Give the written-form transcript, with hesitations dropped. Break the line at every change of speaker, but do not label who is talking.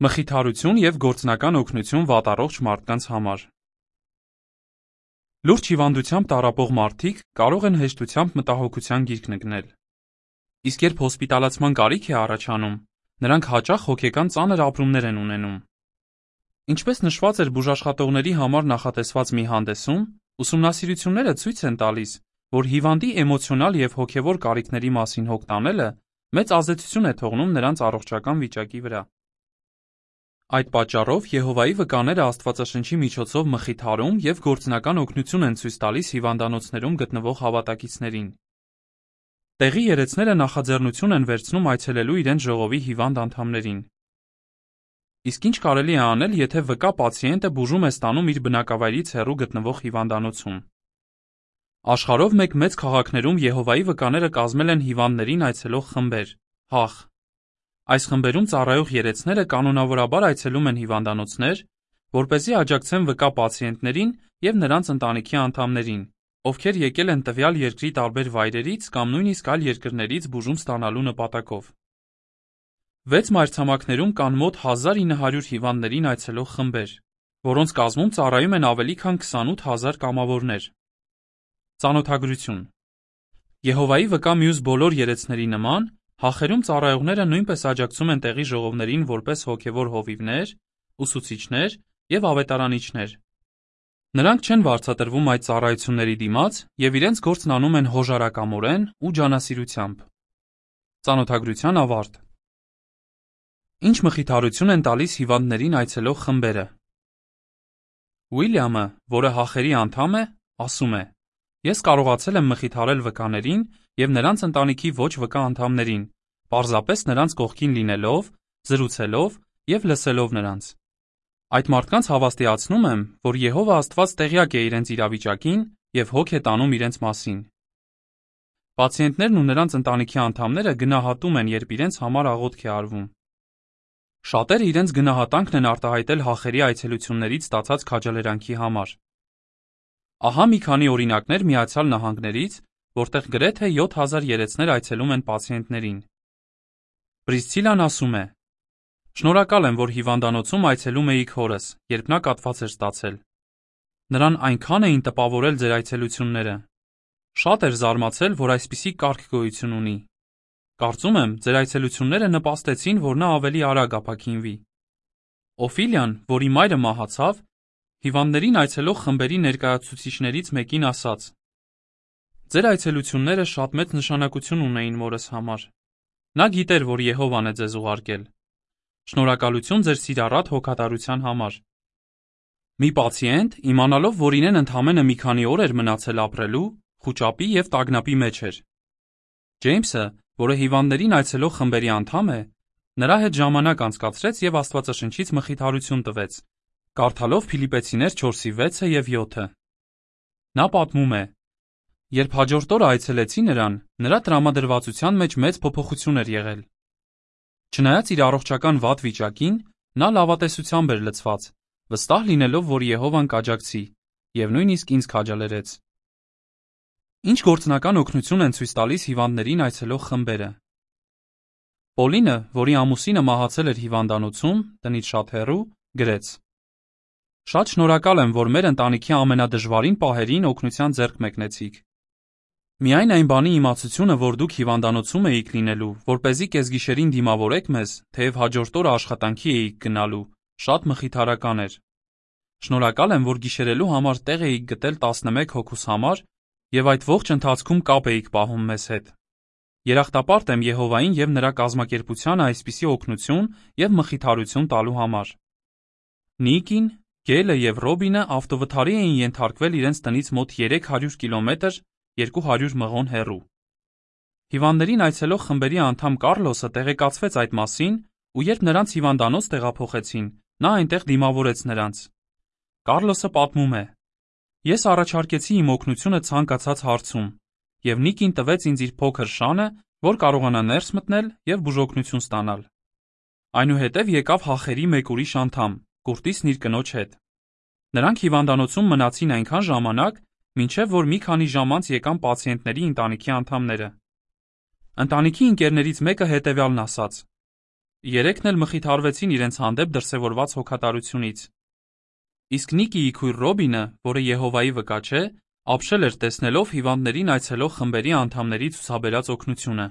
Մխիթարություն և գործնական օգնություն վատառողջ մարդկանց համար։ Լուրջ հիվանդությամբ տառապող մարդիկ կարող են հեշտությամբ մտահոգության գիրկ ընկնել։ Իսկ երբ հոսպիտալացման կարիք է առաջանում, նրանք հաճախ հոգեկան ծանր ապրումներ են ունենում։ Ինչպես նշված էր բուժաշխատողների համար նախատեսված մի հանդեսում, ուսումնասիրությունները ցույց են տալիս, որ հիվանդի էմոցիոնալ և հոգևոր կարիքների մասին հոգ տանելը մեծ ազդեցություն է թողնում նրանց առողջական վիճակի վրա։ Այդ պատճառով Եհովայի վկաները Աստվածաշնչի միջոցով մխիթարում և գործնական օգնություն են ցույց տալիս հիվանդանոցներում գտնվող հավատակիցներին։ Տեղի երեցները նախաձեռնություն են վերցնում այցելելու իրենց ժողովի հիվանդ անդամներին։ Իսկ ինչ կարելի է անել, եթե վկա պացիենտը բուժում է ստանում իր բնակավայրից հեռու գտնվող հիվանդանոցում։ Աշխարհով մեծ քաղաքներում Եհովայի վկաները կազմել են հիվանդներին այցելող խմբեր, ՀԱԽ։ Այս խմբերում ծառայող երեցները կանոնավորաբար այցելում են հիվանդանոցներ, որպեսզի աջակցեն վկա պացիենտներին և նրանց ընտանիքի անդամներին, ովքեր եկել են տվյալ երկրի տարբեր վայրերից կամ նույնիսկ այլ երկրներից բուժում ստանալու նպատակով։ 6 մայրցամաքներում կան մոտ 1900 հիվանդներին այցելող խմբեր, որոնց կազմում ծառայում են ավելի քան 28,000 կամավորներ։ Ծանոթագրություն։ Եհովայի վկա մյուս բոլոր երեցների նման, ՀԱԽ-երում ծառայողները նույնպես աջակցում են տեղի ժողովներին որպես հոգևոր հովիվներ, ուսուցիչներ և ավետարանիչներ։ Նրանք չեն վարձատրվում այդ ծառայությունների դիմաց և իրենց գործն անում են հոժարակամորեն ու ջանասիրությամբ։ Ծանոթագրության ավարտ։ Ինչ մխիթարություն են տալիս հիվանդներին այցելող խմբերը։ Ուիլյամը, որը ՀԱԽ-երի անդամ է, ասում է. «Ես կարողացել եմ մխիթարել վկաներին և նրանց ընտանիքի ոչ վկա անդամներին, պարզապես նրանց կողքին լինելով, զրուցելով և լսելով նրանց։ Այդ մարդկանց հավաստիացնում եմ, որ Եհովա Աստված տեղյակ է իրենց իրավիճակին և հոգ է տանում իրենց մասին»։ Պացիենտներն ու նրանց ընտանիքի անդամները գնահատում են, երբ իրենց համար աղոթք է արվում։ Շատերը իրենց գնահատանքն են արտահայտել ՀԱԽ-երի այցելություններից ստացած քաջալերանքի համար։ Ահա մի քանի օրինակներ Միացյալ Նահանգներից, որտեղ գրեթե 7000 երեցներ այցելում են պացիենտներին։ Պրիսցիլան ասում է. «Շնորհակալ եմ, որ հիվանդանոցում այցելում էիք հորս, երբ նա կաթված էր ստացել։ Նրան այնքան էին տպավորել ձեր այցելությունները։ Շատ էր զարմացել, որ այսպիսի կարգ գոյություն ունի։ Կարծում եմ, ձեր այցելությունները նպաստեցին, որ նա ավելի արագ ապաքինվի»։ Օֆիլիան, որի մայրը մահացավ, հիվանդներին այցելող խմբերի ներկայացուցիչներից մեկին ասաց. «Ձեր այցելությունները շատ մեծ նշանակություն ունեին մորս համար։ Նա գիտեր, որ Եհովան է ձեզ ուղարկել։ Շնորհակալություն ձեր սիրառատ հոգատարության համար»։ Մի պացիենտ, իմանալով, որ իրեն ընդամենը մի քանի օր էր մնացել ապրելու, խուճապի և տագնապի մեջ էր։ Ջեյմսը, որը հիվանդներին այցելող խմբերի անդամ է, նրա հետ ժամանակ անցկացրեց և Աստվածաշնչից մխիթարություն տվեց, կարդալով Փիլիպպեցիներ 4:6 և 7։ Նա պատմում է. «Երբ հաջորդ օրը այցելեցի նրան, նրա տրամադրվածության մեջ մեծ փոփոխություն էր եղել։ Չնայած իր առողջական վատ վիճակին, նա լավատեսությամբ էր լցված, վստահ լինելով, որ Եհովան կաջակցի, և նույնիսկ ինձ քաջալերեց»։ Ինչ գործնական օգնություն են ցույց տալիս հիվանդներին այցելող խմբերը։ Պոլինը, որի ամուսինը մահացել էր հիվանդանոցում, տնից շատ հեռու, գրեց. «Շատ շնորհակալ եմ, որ մեր ընտանիքի ամենադժվարին պահերին օգնության ձեռք մեկնեցիք։ Միայն այն բանի իմացությունը, որ դուք հիվանդանոցում էիք լինելու, որպեսզի կեսգիշերին դիմավորեք մեզ, թեև հաջորդ օրը աշխատանքի էիք գնալու, շատ մխիթարական էր։ Շնորհակալ եմ, որ գիշերելու համար տեղ էիք գտել 11 հոգուս համար և այդ ողջ ընթացքում կապ էիք պահում մեզ հետ։ Երախտապարտ եմ Եհովային և նրա կազմակերպությանը այսպիսի օգնություն և մխիթարություն տալու համար։ Նիկին, Գելը և Ռոբինը ավտովթարի էին ենթարկվել իրենց տնից մոտ 300 կիլոմետր 200 մղոն հեռու։ Հիվանդներին այցելող խմբերի անդամ Կառլոսը տեղեկացվեց այդ մասին, ու երբ նրանց հիվանդանոց տեղափոխեցին, նա այնտեղ դիմավորեց նրանց։ Կառլոսը պատմում է. «Ես առաջարկեցի իմ օգնությունը ցանկացած հարցում, և Նիկին տվեց ինձ իր փոքր շանը, որ կարողանա ներս մտնել և բուժօգնություն ստանալ։ Այնուհետև եկավ ՀԱԽ-երի մեկ ուրիշ անդամ, Կուրտիսն իր կնոջ հետ։ Նրանք հիվանդանոցում մնացին այնքան ժամանակ, մինչև որ մի քանի ժամ անց եկան պացիենտների ընտանիքի անդամները։ Ընտանիքի ընկերներից մեկը հետևյալն ասաց. Երեքն էլ մխիթարվեցին իրենց հանդեպ դրսևորված հոգատարությունից։ Իսկ Նիկիի քույր Ռոբինը, որը Եհովայի վկա չէ, ապշել էր տեսնելով հիվանդներին այցելող խմբերի անդամների ցուցաբերած օգնությունը։